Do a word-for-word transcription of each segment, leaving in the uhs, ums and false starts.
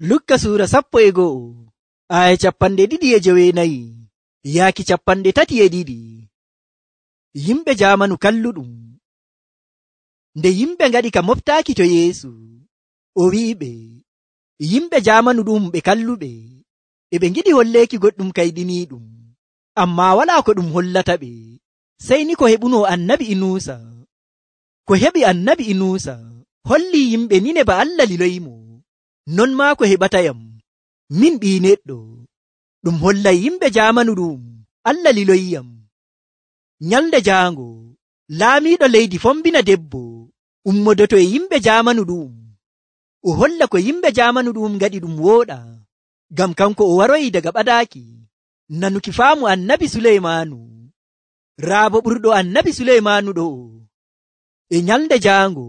Lukka suura sappo e go'o aya capanɗe ɗiɗi e joweenayi yaaki capanɗe tati e ɗiɗi. Yimɓe jaamanu kalluɗum. Nde yimɓe ngaɗi ka moftaaki to Yeesu, o wi'iɓe yimɓe jaamanu ɗum ɓe kalluɓe e ɓe ngiɗi holleeki goɗɗum kayɗiniiɗum, ammaa walaa ko ɗum hollata ɓe, sey ni ko heɓuno annabi Inuusa. Ko heɓi annabi Inuusa holli yimɓe Ninebe Allah liloyimo. Non maa ko heɓatayam, min ɓii neɗɗo, ɗum hollay yimɓe jaamanu ɗum Allah liloyiyam. Nyalnde jaango laamiiɗo leydi fombina debbo ummodoto e yimɓe jaamanu ɗum, o holla ko yimɓe jaamanu ɗum ngaɗi ɗum wooɗa, ngam kanko o waroyi daga ɓadaaki nanuki faamu annabi Suleymaanu, raabo ɓurɗo annabi Suleymaanu ɗo. E nyalnde jaango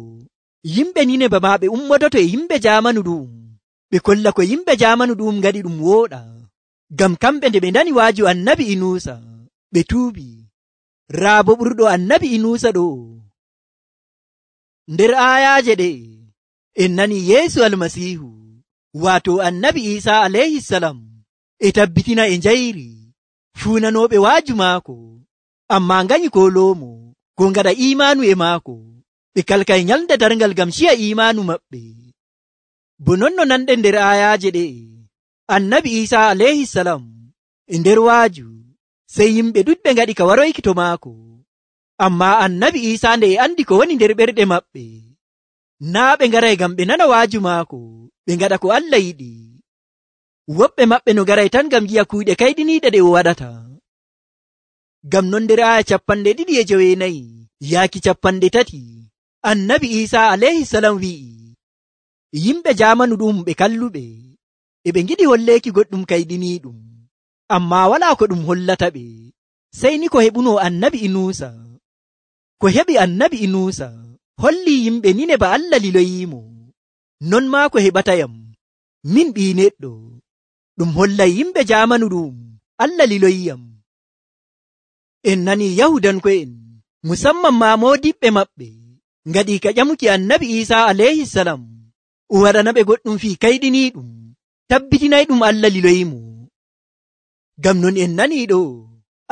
yimɓe Ninebe maa ɓe ummodoto e yimɓe jaamanu ɗum, ɓe kolla ko yimɓe jaamanu ɗum ngaɗi ɗum wooɗa, ngam kamɓe nde ɓe nani waaju annabi Inuusa ɓe tuubi, raabo ɓurɗo annabi Inuusa ɗo. Nder aayaaje ɗe en nani Yeesu Almasiihu waato annabi Iisaa alayhisalam e tabbitina e njayri fuunanooɓe waaju maako, ammaa nganyi kooloomo ko ngaɗa iimaanu e maako, ɓe kalkay nyalnde darngal ngam ciya iimaanu maɓɓe. Bo non no nanɗen nder aayaaje ɗe annabi Iisaa alayhisalam e nder waaju, sey yimɓe ɗuɗɓe ngaɗi ka waroyki to maako, ammaa annabi Iisaa nde e andi ko woni nder ɓerɗe maɓɓe, naa ɓe ngaray ngam ɓe nana waaju maako ɓe ngaɗa ko Allah yiɗi. Woɓɓe maɓɓe no ngaray tan ngam yi'a kuuɗe kayɗiniiɗe ɗe o waɗata. Ngam non nder aya capanɗe ɗiɗi e joweenayi yaaki capanɗe tati annabi Iisaa alayhisalam wi'i yimɓe jaamanu ɗum ɓe kalluɓe e ɓe ngiɗi holleeki goɗɗum kayɗiniiɗum, ammaa walaa ko ɗum hollata ɓe, sey ni ko heɓuno annabi Inuusa. Ko heɓi annabi Inuusa holli yimɓe Ninebe Allah liloyiimo. Non maa ko heɓatayam, min ɓii neɗɗo, ɗum hollay yimɓe jaamanu ɗum Allah liloyiyam. En nani Yahudanko'en, musamman maa moodiɓɓe maɓɓe, ngaɗi ka ƴamuki annabi Iisaa alayhisalam o waɗanaɓe goɗɗum fii kayɗiniiɗum, tabbitinay ɗum Allah liloyimo. Ngam non en nani ɗo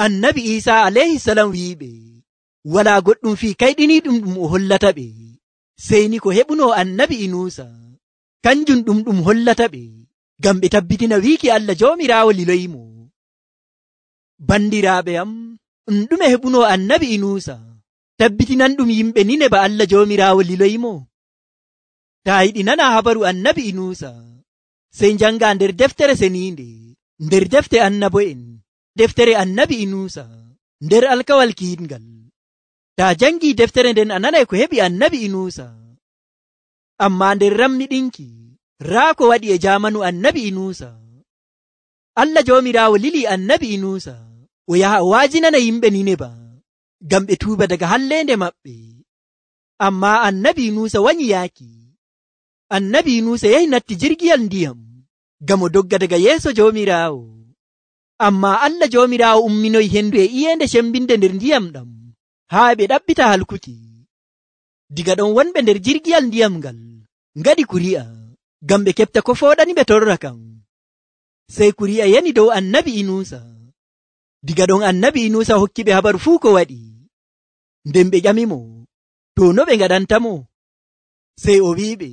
annabi Iisaa alayhisalam wi'iɓe walaa goɗɗum fii kayɗiniiɗum ɗum o hollata ɓe, sey ni ko heɓuno annabi Inuusa, kanjum ɗum ɗum hollata ɓe, ngam ɓe tabbitina wiiki Allah Joomiraawo liloyimo. Bandiraaɓe am, ɗum ɗume heɓuno annabi Inuusa tabbitinan ɗum yimɓe Ninebe Allah Joomiraawo liloyimo? Taa yiɗi nana habaru annabi Inuusa, sey njanga nder deftere seniinde, nder defte annabo'en, deftere annabi Inuusa, nder alkawal kiitngal. Taa jangi deftere nden a nanay ko heɓi annabi Inuusa. Ammaa nder rammiɗinki raa ko waɗi e jaamanu annabi Inuusa. Allah Joomiraawo lili annabi Inuusa o yaha o waajinana yimɓe Ninebe ngam ɓe tuuba daga halleende maɓɓe. Ammaa annabi Inuusa wanyi yaaki. Annabi Inuusa yahi natti jirgiyal ndiyam ngam o dogga daga yeeso Joomiraawo. Ammaa Allah Joomiraawo umminoyi hendu e iyeende cembinde nder ndiyam ɗam haa ɓe ɗaɓɓita halkuki. Diga ɗon wonɓe nder jirgiyal ndiyam ngal ngaɗi kuri'a ngam ɓe keɓta ko fooɗani ɓe torra kan. Sey kuri'a yani dow annabi Inuusa. Diga ɗon annabi Inuusa hokki ɓe habaru fuu ko waɗi. Nden ɓe ƴamimo to no ɓe ngaɗantamo. Sey o wi'iɓe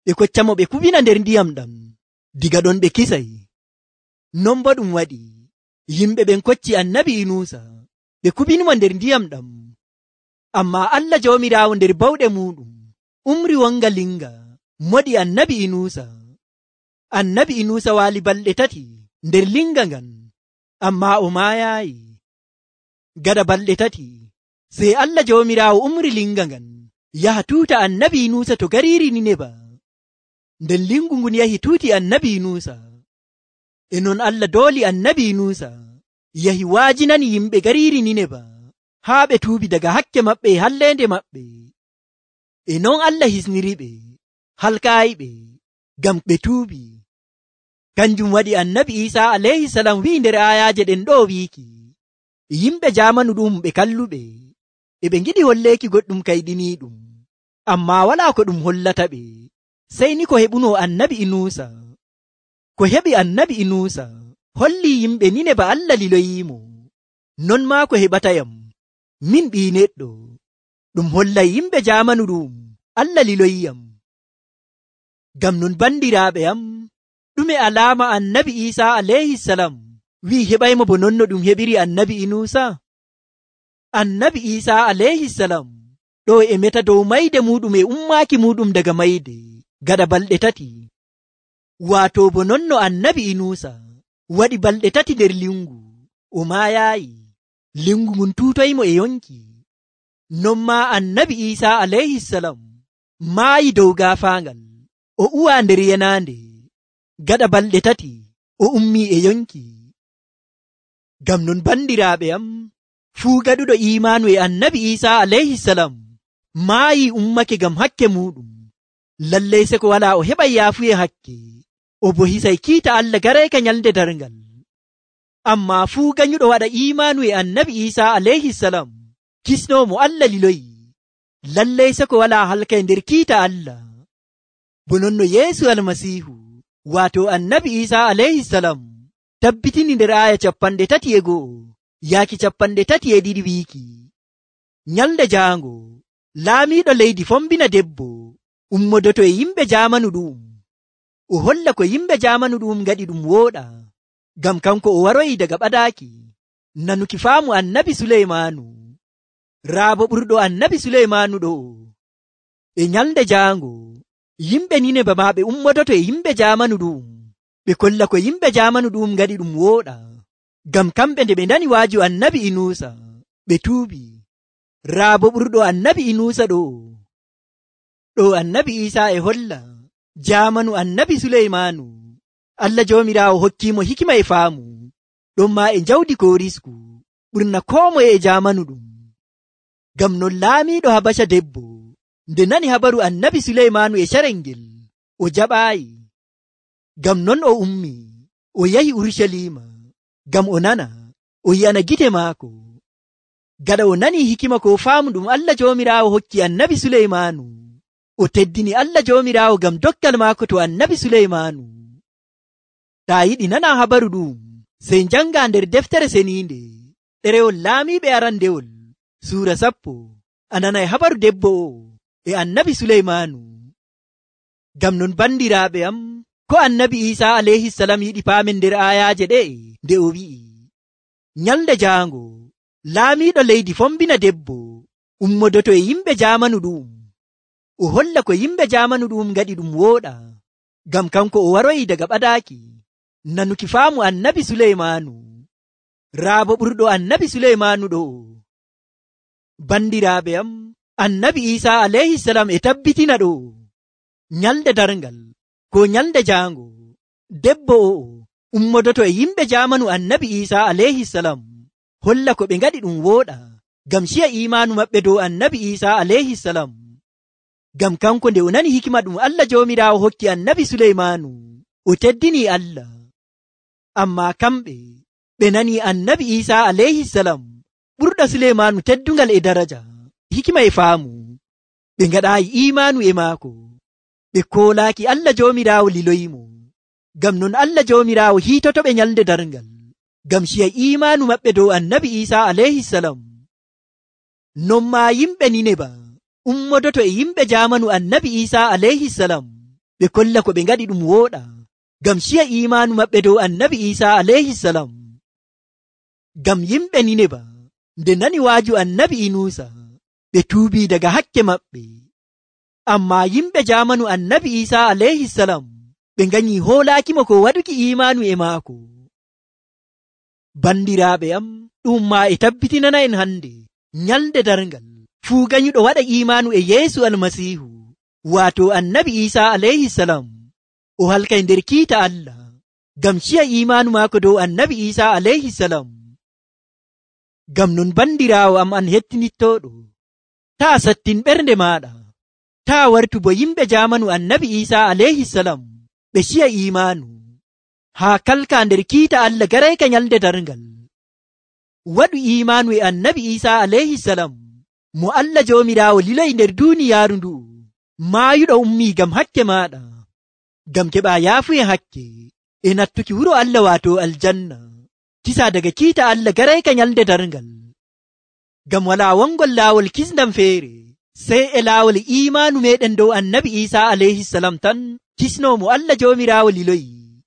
ɓe koccamo ɓe kubina nder ndiyam ɗam. Diga ɗon ɓe kisay. Non bo ɗum waɗi, yimɓe ɓen kocci annabi Inuusa ɓe kubinimo nder ndiyam ɗam. Ammaa Allah Joomiraawo nder bawɗe muɗum umri wonga linga moɗi annabi Inuusa. Annabi Inuusa waali balɗe tati nder linga ngan, ammaa o maayaayi. Gaɗa balɗe tati sey Allah Joomiraawo umri linga ngan yaha tuuta annabi Inuusa to gariiri Ninebe. Nden lingu ngun yahi tuuti annabi Inuusa. E non Allah dooli annabi Inuusa yahi waajinani yimɓe gariiri Ninebe haa ɓe tuubi daga hakke maɓɓe e halleende maɓɓe. E non Allah hisniriɓe, halkaayiɓe, ngam ɓe tuubi. Kanjum waɗi annabi Iisaa alayhisalam wi'i nder aayaaje ɗen ɗo wiiki yimɓe jaamanu ɗum ɓe kalluɓe e ɓe ngiɗi holleeki goɗɗum kayɗiniiɗum, ammaa walaa ko ɗum hollata ɓe, sey ni ko heɓuno annabi Inuusa. ko heɓi annabi Inuusa holli yimɓe Ninebe Allah liloyiimo. Non maa ko heɓatayam min ɓii neɗɗo, ɗum hollay yimɓe jaamanu ɗum Allah liloyiyam. Ngam non bandiraaɓe am, ɗume alaama annabi Iisaa alayhisalam wi'i heɓaymo bo non no ɗum heɓiri annabi Inuusa? Annabi Iisaa alayhisalam ɗo e meta dow mayde muɗum e ummaaki muɗum daga mayde gaɗa balɗe tati. Waato bo non no annabi Inuusa waɗi balɗe tati nder lingu, o maayaayi, lingu ngun tuutoymo e yonki. Non maa annabi Iisaa alayhisalam maayi dow gaafaangal, o uwaa nder yenaande, gaɗa balɗe tati o ummii e yonki. Ngam non bandiraaɓe am, fuu gaɗuɗo iimaanu e annabi Iisaa alayhisalam maayi ummake ngam hakke muɗum. Lallay se ko walaa o heɓay yaafuye hakke, o bo hisay kiita Allah garayka nyalde darngal. Ammaa fuu ganyuɗo waɗa iimaanu e annabi Iisaa alayhisalam kisnoomo Allah liloyi, lallay se ko walaa halkay nder kiita Allah. Bo non no Yeesu almasiihu waato annabi Iisaa alayhisalam tabbitini nder aaya capanɗe tati e go'o yaaki capanɗe tati e ɗiɗi wiiki, nyalde jaango laamiiɗo leydi fombina debbo ummodoto e yimɓe jaamanu ɗum, o holla ko yimɓe jaamanu ɗum ngaɗi ɗum wooɗa, ngam kanko o waroyi daga ɓadaaki nanuki faamu annabi Suleymaanu, raabo ɓurɗo annabi Suleymaanu ɗo. E nyalde jaango yimɓe Ninebe maa ɓe ummodoto e yimɓe jaamanu ɗum, ɓe kolla ko yimɓe jaamanu ɗum ngaɗi ɗum wooɗa, ngam kamɓe nde ɓe ndani waaju annabi Inuusa ɓe tuubi. Raabo ɓurɗo annabi Inuusa ɗo, ɗo annabi Iisaa e holla jaamanu annabi Suleymaanu Allah joomiraawo hokkiimo hikima e faamu, ɗon maa e njawdi ko risku ɓurna koo moye e jaamanu ɗum. Ngam non laamiiɗo Habasha debbo nde nani habaru annabi Suleymaanu e carel ngel, o jaɓaayi. Ngam non o ummi o yahi Urucaliima ngam o nana o yi'ana gite maako. Gaɗa o nani hikima ko faamu ɗum Allah joomiraawo hokki annabi Suleymaanu, o teddini Allah joomiraawo ngam doggal maako to annabi Suleymaanu. Taa yiɗi nana habaru ɗum, sey njanga nder deftere seniinde ɗerewol laamiiɓe arandewol suura sappo, a nanay habaru debbo o e annabi Suleymaanu. Ngam non bandiraaɓe am, ko annabi Iisaa alayhisalam yiɗi paamen nder aayaaje ɗe nde o wi'i, nyalde jaango laamiiɗo leydi fombina debbo ummodoto e yimɓe jaamanu ɗum, o holla ko yimɓe jaamanu ɗum ngaɗi ɗum wooɗa, ngam kanko o waroyi daga ɓadaaki nanuki faamu annabi Suleymaanu, raabo ɓurɗo annabi Suleymaanu ɗo. Bandiraaɓe am, annabi Iisaa alayhisalam e tabbitina ɗo nyalde darngal ko nyalde jaango debbo o ummodoto e yimɓe jaamanu annabi Iisaa alayhisalam holla ko ɓe ngaɗi ɗum wooɗa, ngam ciya iimaanu maɓɓe dow annabi Iisaa alayhisalam. Ngam kanko nde o nani hikima ɗum Allah joomiraawo hokki annabi Suleymaanu, o teddini Allah. Ammaa kamɓe ɓe nani annabi Iisaa alayhisalam ɓurɗo Suleymaanu teddungal e daraja, hikima e faamu, ɓe ngaɗaayi iimaanu e maako, ɓe koolaaki Allah joomiraawo liloyimo. Ngam non Allah joomiraawo hiitotoɓe nyalde darngal ngam ciya iimaanu maɓɓe dow annabi Iisaa alayhisalam. Non maa yimɓe Nineba ummodoto e yimɓe jaamanu annabi Iisaa alayhisalam ɓe kolla ko ɓe ngaɗi ɗum wooɗa, ngam ciya iimaanu maɓɓe dow annabi Iisaa alayhisalam. Ngam yimɓe Nineba nde nani waaju annabi Inuusa ɓe tuubii daga hakke maɓɓe. Ammaa yimɓe jaamanu annabi Iisaa alayhisalam ɓe nganyii hoolaakimo ko waɗuki iimaanu e maako. Bandiraaɓe am, ɗum maa e tabbitinana en hannde nyalde darngal fuu ganyuɗo waɗa iimaanu e Yeesu almasiihu waato annabi Iisaa alayhisalam o halkay nder kiita Allah ngam ciya iimaanu maako dow annabi Iisaa alayhisalam. Ngam non bandiraawo am an hettinittooɗo, taa sattin ɓernde maaɗa, taa wartu bo yimɓe jaamanu annabi Iisaa alayhisalam ɓe ciya iimaanu haa kalka nder kiita Allah garayka nyalde darngal. Waɗu iimaanu e annabi Iisaa alayhisalam mo Allah joomiraawo liloyi nder duuniyaaru ndu'u, maayuɗo ummii ngam hakke maaɗa, ngam keɓaa yaafuye hakke, e nattuki wuro Allah wato aljanna kisa daga kiita Allah garayka nyalde darngal. Ngam wala wongol laawol kisndam feere sey e laawol imaanu meɗen dow annabi Isa alayhi salam tan kisnomo Allah joomiraawo liloyi.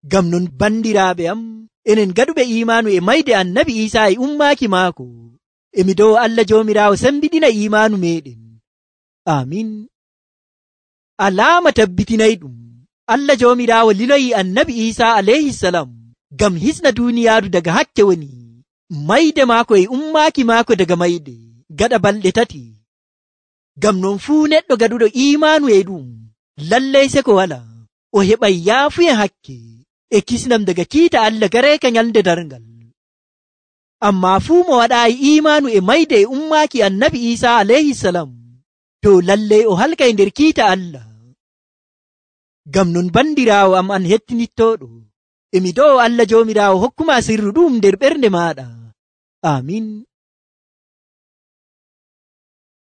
Ngam non bandiraaɓe am, enen gaɗuɓe imaanu e mayde annabi Isa e ummaaki maako, emi dow Allah joomiraawo sembiɗina imaanu meɗen. Amin. Alaama tabbitinayɗum Allah joomiraawo liloyi annabi Isa alayhi salam ngam hisna duuniyaaru daga hakke woni mayde maako e ummaaki maako daga mayde gaɗa balɗe tati. Ngam non fuu neɗɗo gaɗuɗo imaanu e ɗum lallay seko wala o heɓay yaafuye hakke e kisnam daga kiita Allah gareeka nyalde darngal. Amma fuu mo waɗaayi imaanu e mayde e ummaaki annabi Isa alayhi salam to lallay o halkay nder kiita Allah. Ngam non bandiraawo am an hettinittooɗo, emi do'o Allah joomiraawo hokkuma sirru ɗum nder ɓernde maaɗa. Amin.